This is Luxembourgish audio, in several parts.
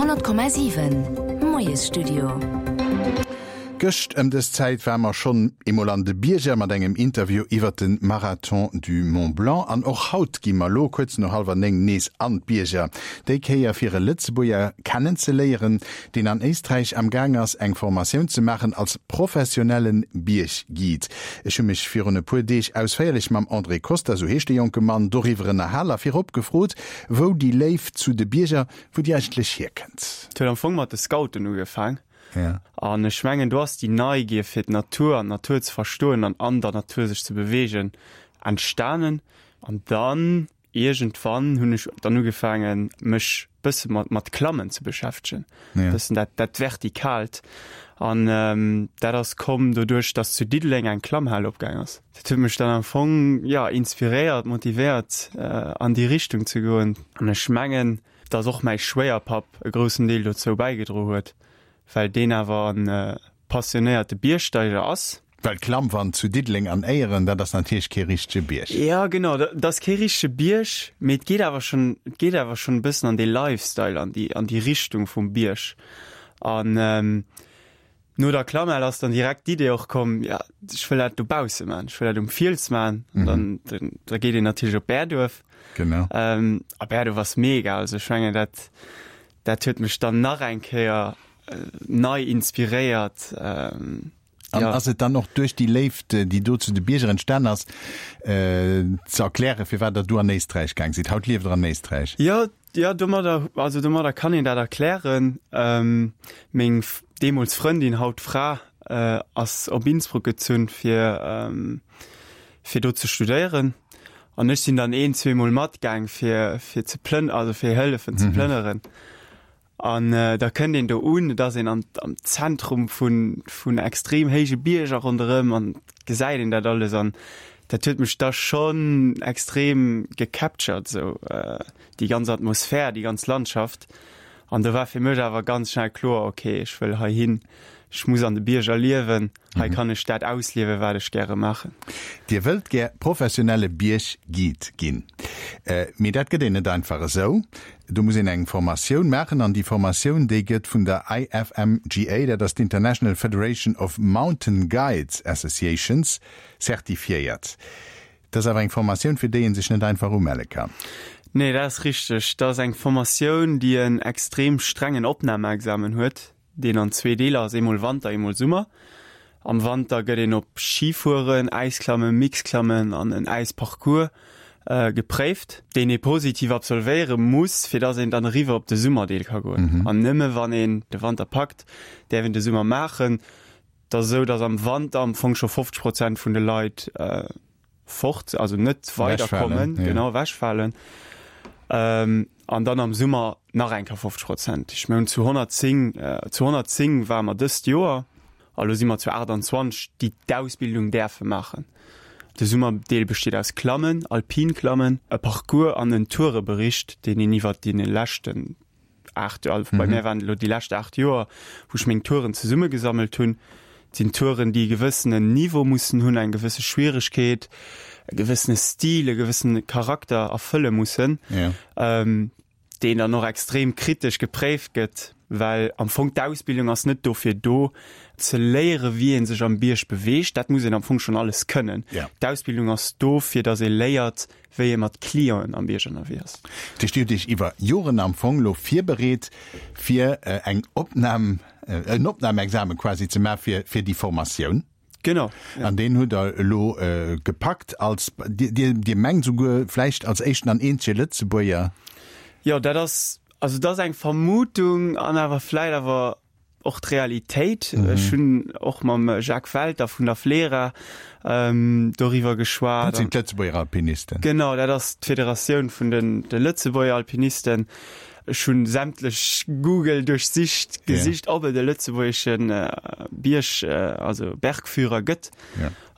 100,7 Moiesstudio. Gëscht ëm dës Zäit ware mer schonn eemol an de Bierger mat engem Interview iwwert de Marathon du Mont Blanc. An och haut gi mer lo kuerz no hallwer 9 nees an d'Bierger. Déi Kéier fir e Lëtzebuerger kennenzeléieren, deen an Éisträich am Gaang ass eng Formatioun ze maachen als professionelle Biergguide. Ech hu mech virun e puer Deeg ausféierlech mam André Costa, sou heescht de jonke Mann, doriwwer ënnerhal a virop gefrot, wou déi Léift zu de Bierger, wou déi eigentlech hierkënnt. Et huet am Fong mat de Scouten ugefaang. An ech mengen, do ass déi Neigier fir d'Natur an d'Natur ze verstoen an an der Natur sech ze beweegen entstanen. An dann Iergendwann hunn ech dann ugefaangen, mech bësse mat, mat Klammen ze beschäftegen. Ja. Bëssen dat, dat Vertikaalt. An ähm, dat ass komm doduerch, dass zu Diddeleng eng Klammhal opgaang ass. Dat huet mech dann am Fong, ja, inspiréiert, motivéiert, äh, an déi Richtung ze goen. An ech mengen, dass och mäi Schwéierpapp e groussen Deel dozou bäigedro huet, well deen awer en äh, passionéierte Biergsteiger ass. Well d'Klammwand zu Diddeleng an Éieren, dat ass natierlech kee richtege Bierg. Jo, genau, dat ass kee richtege Bierg, mee et geet awer schonn, et geet awer schonn e bëssen an dee Lifestyle, an déi, an déi Richtung vum Bierg. An no der Klammhal ass dann direkt d'Idee och komm, jo, ech wëll dat dobausse maachen, ech wëll dat um Fiels maachen. An dann, dann, da geet een natierlech op Bäerduerf. Genau. A Bäerduerf ass mega, also ech mengen dat, dat huet mech dann nach eng Kéier nei inspiréiert. An ass et dann och duerch déi Léift, déi do zu de Bierger entstan ass, ze erklären, firwat Der du an Éisträich gaang sidd? Haut lieft Der an Éisträich. Jo, jo, domadder, also domadder kann een dat erklären. Meng deemools Frëndin, haut Fra, ass op Innsbruck gezunn, fir, fir do ze studéieren. An ech sinn dann een, zweemol matgaang, fir, fir ze plënn-, also fir hëllefen ze plënneren. An da kënnt een do un, et ass een am Zentrum vun, vun extrem héije Bierger ronderëm an gesäit een dat alles an dat huet mech da schonn extrem gecaptured esou, déi ganz Atmosphär, déi ganz Landschaft. An do war fir mech awer ganz schnell kloer, okay, ech wëll heihin, ech muss an de Bierger liewen. Hei kann ech dat ausliewen, wat ech gäre maachen. Dir wëllt gär professionelle Biergguide ginn. Mee dat gëtt een net einfach esou. Do muss een eng Formatioun maachen an déi Formatioun, déi gëtt vun der IFMGA, dat ass d'International Federation of Mountain Guides Associations, certifiéiert. Dat ass awer eng Formatioun, fir déi ee sech net einfach umelle kann. Nee, dat ass richteg. Dat ass eng Formatioun, déi en extrem strengen Opnahmeexamen huet. deen an zwee Deeler ass, eemol Wanter, eemol Summer. Am Wanter gëtt een op Schifueren, Äisklammen, Mixklammen an en Äisparcours gepréift, deen ee positiv absolvéiere muss, fir dass een dann eriwwer op de Summerdeel ka goen. An nëmme wann een de Wanter packt, däerf een de Summer maachen. Et ass esou, dass am Wanter am Fong scho 50 Prozent vun de Leit fort, also net weiderkommen, ja. genau ewechfalen. Ähm, an dann am Summer nach eng Kéier 50 Prozent. Ech mengen zu 110, äh, zu 110 ware mer dëst Joer, a lo si mer zu 28, déi d'Ausbildung däerfe maachen. De Summerdeel besteet aus Klammen, Alpinklammen, e Parcours an en Tourebericht, deen een iwwert déi leschten 8 Joer, bei mär waren et elo déi lescht 8 Joer, wou ech meng Touren zesummegesammelt hunn. Et sinn Touren, déi e gewëssenen Niveau mussen hunn, eng gewësse Schwieregkeet, e gewëssene Stil, e gewëssene Charakter erfëlle mussen, deen dann och extrem kritesch gepréift gëtt, well am Fong d'Ausbildung ass net dofir do, ze léiere wéi ee sech am Bierg beweegt, dat muss een am Fong schonn alles kënnen. D'Ausbildung ass do, fir datt ee léiert, wéi ee mat Clienten am Bierg ënnerwee ass. Dat heescht, Dir hutt Iech iwwer Joren am Fong elo virbereet, fir eng Opnam, en Opnamexamen quasi ze maachen fir, fir déi Formatioun. Genau, ja. An deen hutt Der elo gepackt als, Dir, Dir, Dir mengt souguer vläicht als éischten an eenzege Lëtzebuerger? Jo, dat ass, also dat ass eng Vermutung an awer vläicht awer och d'Realitéit. Ech hunn och mam Jacques Welter vun der FLERA doriwwer geschwat. Dat sinn d'Lëtzebuerger Alpinisten. Genau, dat ass d'Federatioun vun de Lëtzebuerger Alpinisten. Ech hunn sämtlech Google duerchsicht, gesicht, ob et e lëtzebuergesche Bierg, also Bergführer gëtt.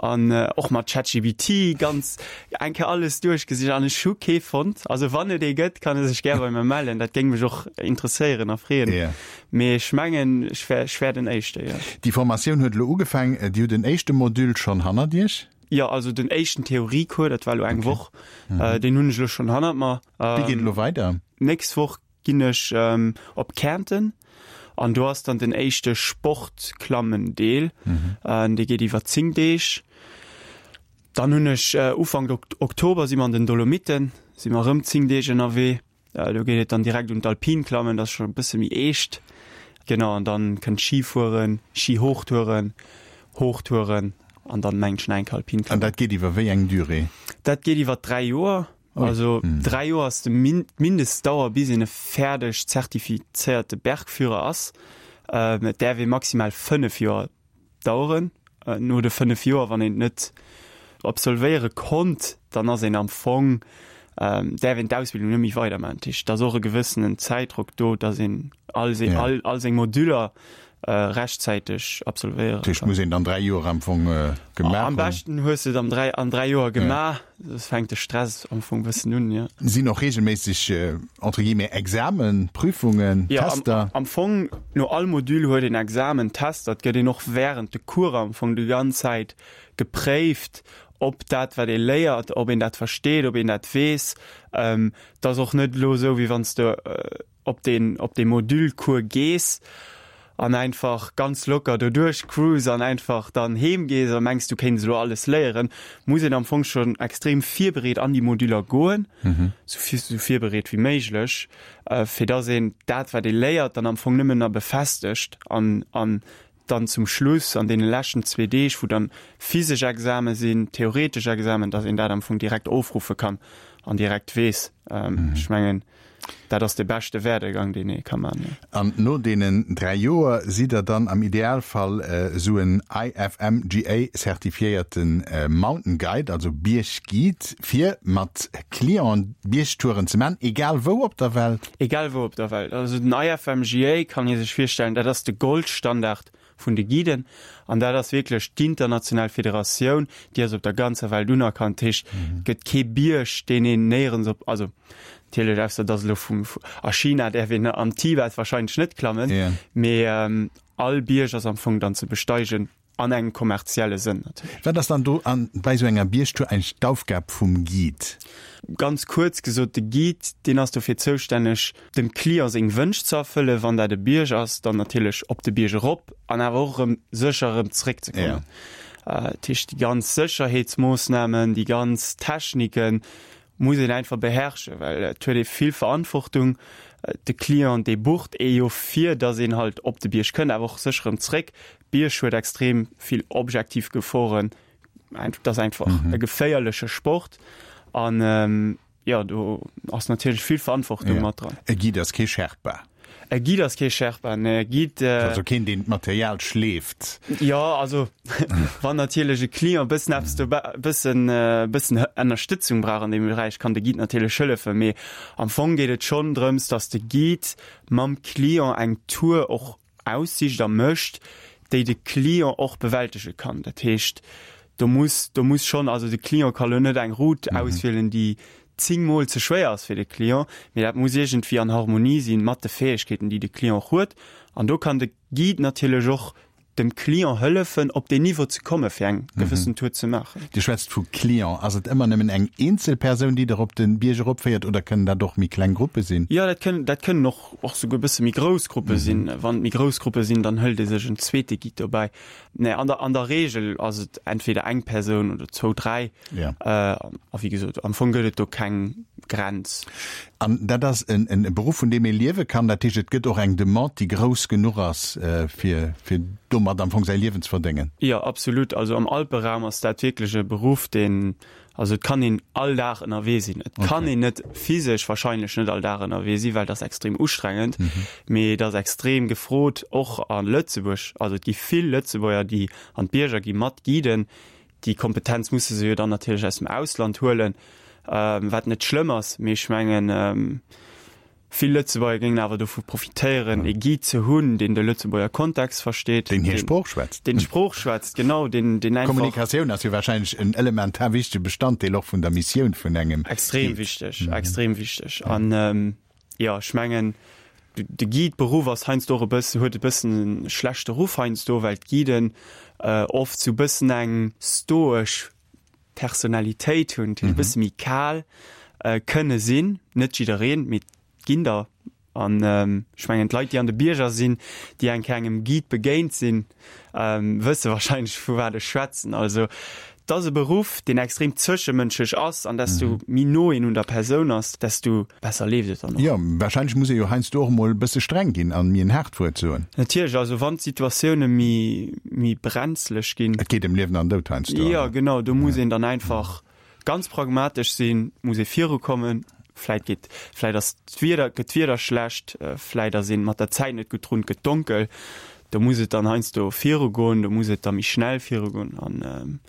An och mat ChatGPT ganz eng Kéier alles duerchgesicht an ech hu kee fonnt. Also wann et ee gëtt, kann e sech gär bei mir mellen. Dat géing mech och interesséieren a freeën. Yeah. Mee ech mengen, ech wär, ech wär den Éischte, jo. Déi Formatioun huet elo ugefaang. Dir hutt en éischte Module schonn hannert Iech? Jo, also den éischten Theoriecours, dat war elo eng Woch, deen hunn ech elo schonn hannert mer. Wéi geet et elo weider? Nächst Woch. Ginn ech op Kärnten an do ass dann den éischte Sportklammen-Deel. Dee geet iwwer 10 Deeg. Dann hunn ech Ufank Oktober si mer an den Dolomiten, si mer erëm 10 Deeg ënnerwee. Do geet et dann direkt un d'Alpinklammen, dat ass scho e bësse méi eescht. Genau, an dann kënnt Schifueren, Schihochtouren, Hochtouren an dann mengen ech nach eng Kéier Alpinklammen. An dat geet iwwer wéi eng Durée? Dat geet iwwer 3 Joer. Also 3 Joer ass de d'Mindestdauer bis een e fäerdeg zertifizéierte Bergführer ass. Et däerf ee maximal 5 Joer daueren. No de 5 Joer, wann een et net absolvéiere konnt, dann ass een am Fong, däerf een d'Ausbildung net méi weidermaachen. Dat heescht, et ass och e gewëssenen Zäitdrock do, datt een all all seng Modüller rechtzäiteg absolvéieren kann. Dat heescht, muss een dann 3 Joer am Fong gemaach hunn? Am beschten hues de et am 3, an 3 Joer gemaach, soss fänkt de Stress am Fong bëssen un, jo. Sinn och reegelméisseg, entre guillemets, Examen, Prüfungen, Tester? Jo, am Fong no all Module huet een Examen, Tester. Et gëtt een och wärend de Coursen am Fong déi ganz Zäit gepréift, ob dat wat ee léiert, ob een dat versteet, ob een dat weess. Et ass och net elo esou, wéi wann s de op deen op dee Module-Cours gees an einfach ganz locker doduerch cruise an einfach dann heem gees a mengs du kéints elo alles léieren, muss een am Fong schonn extrem virbereet an déi Moduler goen, sou sou virbereet wéi méiglech, fir dass een dat wat ee léiert dann am Fong nëmmen na befestegt an an dann zum Schluss an deene leschten zwee Deeg, wou dann physesch Exame sinn, theoretesch Examen, dass een dat am Fong direkt ofruffe kann an direkt weess. Ech mengen, dat ass de beschte Werdegang, deen ee ka man. An no deenen 3 Joer sidd Der dann am Idealfall esou en IFMGA-zertifiéierte Mountain Guide, also Biergguide, fir mat Clienten Biergtouren ze man, egal wou op der Welt? Egal wou op der Welt. Also den IFMGA kann ee sech virstellen, dat ass de Goldstandard vun de Guiden an dat ass wierklech d'international Federatioun, déi ass op der ganzer Welt unerkannt. Dat heescht, et gëtt kee Bierg, deen een néierens op, also natierlech ausser et ass elo vum, a China däerf een am Tibet warscheinlech net klammen, mee all Bierg ass am Fong dann ze besteigen. An engem kommerzielle Sënn natierlech. Wat ass dann do an bei esou enger Biergtour eigentlech d'Aufgab vum Guide? Ganz kuerz gesot, de Guide, deen ass dofir zoustänneg, dem Client seng Wënsch ze erfëllen. Wann dat e Bierg ass, dann natierlech op de Bierg erop an awer och erëm sécher erëm zeréckzekommen. Dat heescht, déi ganz Sécherheetsmoossnamen, déi ganz Techniken muss een einfach beherrschen, well et huet ee vill Verantwortung. De Client, dee bucht ee jo fir, datt een halt op de Bierg kënnt, awer och sécher erëm zeréck. Bierg huet extrem vill objektiv Geforen. Et ass einfach e geféierleche Sport an jo, do ass natierlech vill Verantwortung mat dran. E Guide ass kee Sherpa. E Guide ass kee Sherpa, nee. E Guide. Also keen, deen d'Material schleeft. Jo, also wann natierlech e Client e bëssen eppes dobä, e bëssen, e bëssen Ënnerstëtzung brauch an deem Beräich, kann de Guide natierlech hëllefen. Mee am Fong geet et schonn drëms, datt de Guide mam Client eng Tour och aussicht a mécht, déi de Client och bewältege kann. Dat heescht, do muss, do muss schonn, also de Client ka lo net eng Route auswielen, déi zéngmol ze schwéier ass fir de Client, mee dat muss iergendwéi an Harmonie si mat de Fäegkeeten, déi de Client och huet. An do kann de Guide natierlech och dem Client hëllefen, op deen Niveau ze komme fir eng gewëssen Tour ze maachen. Dir schwätzt vu Client. Ass et ëmmer nëmmen eng eenzel Persoun, déi der op de Bierg eropféiert oder kënnen dat och méi kleng Gruppe sinn? Jo, dat kënnen, dat kënnen och och souguer e bësse méi grouss Gruppe sinn. Wann et méi grouss Gruppe sinn, dann hëlt ee sech en zweete Guide dobäi. Nee, an der, an der Reegel ass et entweder eng Persoun oder zwou, dräi. Ja. A wéi gesot, am Fong gëtt et do keng Grenz. An dat ass en, en Beruff, vun deem ee liewe kann. Dat heescht, et gëtt och eng Demande, déi grouss genuch ass, fir, fir domat am Fong säi Liewen ze verdéngen. Jo, absolut. Also am Alperaum ass dat wierklech e Beruff, deen, Also et kann een all Dag ënnerwee sinn. Et kann een net physesch wahrscheinlech net all Dag ënnerwee sinn, well dat ass extrem ustrengend, mee et ass extrem gefrot, och a Lëtzebuerg. Also et gi vill Lëtzebuerger, déi an d'Bierger gi mat Guiden. Déi Kompetenz musse se jo dann natierlech aus dem Ausland huelen, wat net schlëmm ass, mee ech mengen, Vill Lëtzebuerger géingen awer dovu profitéieren, ee Guide ze hunn, deen de Lëtzebuerger Kontext versteet. Deen hir Sprooch schwätzt. Deen d'Sprooch schwätzt, genau, deen, deen einfach. Kommunikatioun ass jo warscheinlech en elementar wichtege Bestanddeel och vun der Missioun vun engem Guide. Extrem wichteg, extrem wichteg. An, jo, ech mengen, de Guide-Beruff ass heiansdo och e bëssen, huet e bëssen e schlechte Ruff heiansdo, well d'Guiden oft sou e bëssen eng stoesch Personalitéit hunn, déi e bësse méi kal kënne sinn, net jiddereen, mee et ginn der. An ech mengen, d'Leit, déi an de Bierger sinn, déi eng Kéier engem Guide begéint sinn, wësse wahrscheinlech, vu wat ech schwätzen. Also et ass e Beruff, deen extrem zwëschemënschlech ass, an desto méi no een un der Persoun ass, desto besser leeft et dann och. Jo, wahrscheinlech muss ee jo heiansdo och emol e bësse streng ginn an méi en haart Wuert soen. Natierlech, also wann d'Situatioune méi, méi brenzlech ginn. Et geet ëm Liewen an Doud heiansdo. Jo, genau, do muss een dann einfach Ganz pragmatesch sinn, muss ee virukommen. Vläit geet, vläit ass d'Wieder, gëtt d'Wieder schlecht, vläit ass een mat der Zäit net gutt drun, et gëtt donkel. Do muss et dann heiansdo virugoen, do muss et da méi schnell virugoen an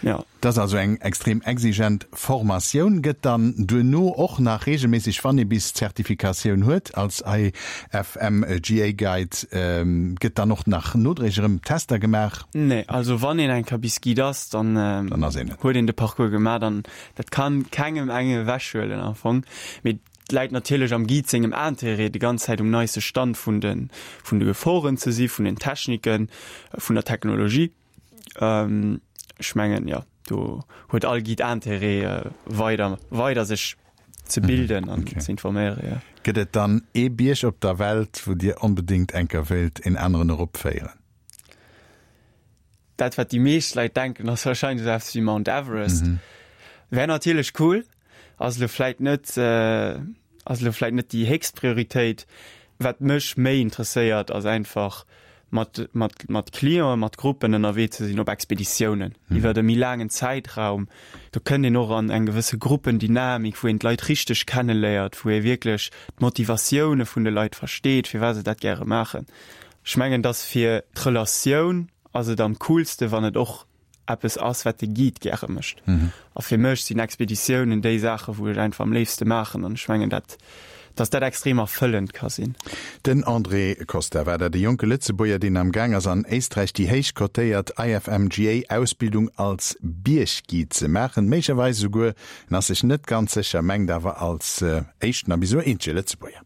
jo. Et ass also eng extrem exigent Formatioun. Gëtt dann duerno och nach reegelméisseg, wann ee bis d'Zertifikatioun huet als IFMGA Guide, gëtt dann och nach nodréiglech erëm Tester gemaach? Nee, also wann een eng Kéier bis Guide ass, dann Dann ass een et. huet een de Parcours gemaach an dat kann kengem engem ewechhuelen am Fong. Mee et läit natierlech am Guide sengem Intérêt, déi ganz Zäit um neiste Stand vun de vun de Geforen ze si, vun den Techniken, vun der Technologie. Ech mengen, jo, do huet all Guide Intérêt weider weider sech ze bilden an ze informéieren, jo. Gëtt et dann ee Bierg op der Welt, wou Dir onbedéngt eng Kéier wéilt een aneren eropféieren? Dat wat déi meescht Leit denken ass wahrscheinlech esou eppes wéi Mount Everest. Wär natierlech cool, ass elo vläit net ass elo vläit net déi héchst Prioritéit. Wat mech méi interesséiert ass einfach mat mat mat Clienten, mat Gruppen ënnerwee ze sinn op Expeditiounen iwwert e méi laangen Zäitraum. Do kënnt een och an eng gewësse Gruppendynamik, wou een d'Leit richteg kenneléiert, wou ee wierklech d'Motivatioune vun de Leit versteet, firwat se dat gäre maachen. Ech mengen, dass fir d'Relatioun ass et am coolste wann et och eppes ass, wat de Guide gäre mécht. A fir mech sinn Expeditiounen déi Saache wou ech einfach am léifste maachen an ech mengen dat, dass dat extrem erfëllend ka sinn. Den André Costa war dat, e jonke Lëtzebuerger, deen am Gaang ass an Éisträich déi héich kotéiert IFMGA-Ausbildung als Biergguide ze maachen. Méiglecherweis esouguer, en ass sech net ganz sécher, mengt awer als éischten a bis elo eenzege Lëtzebuerger.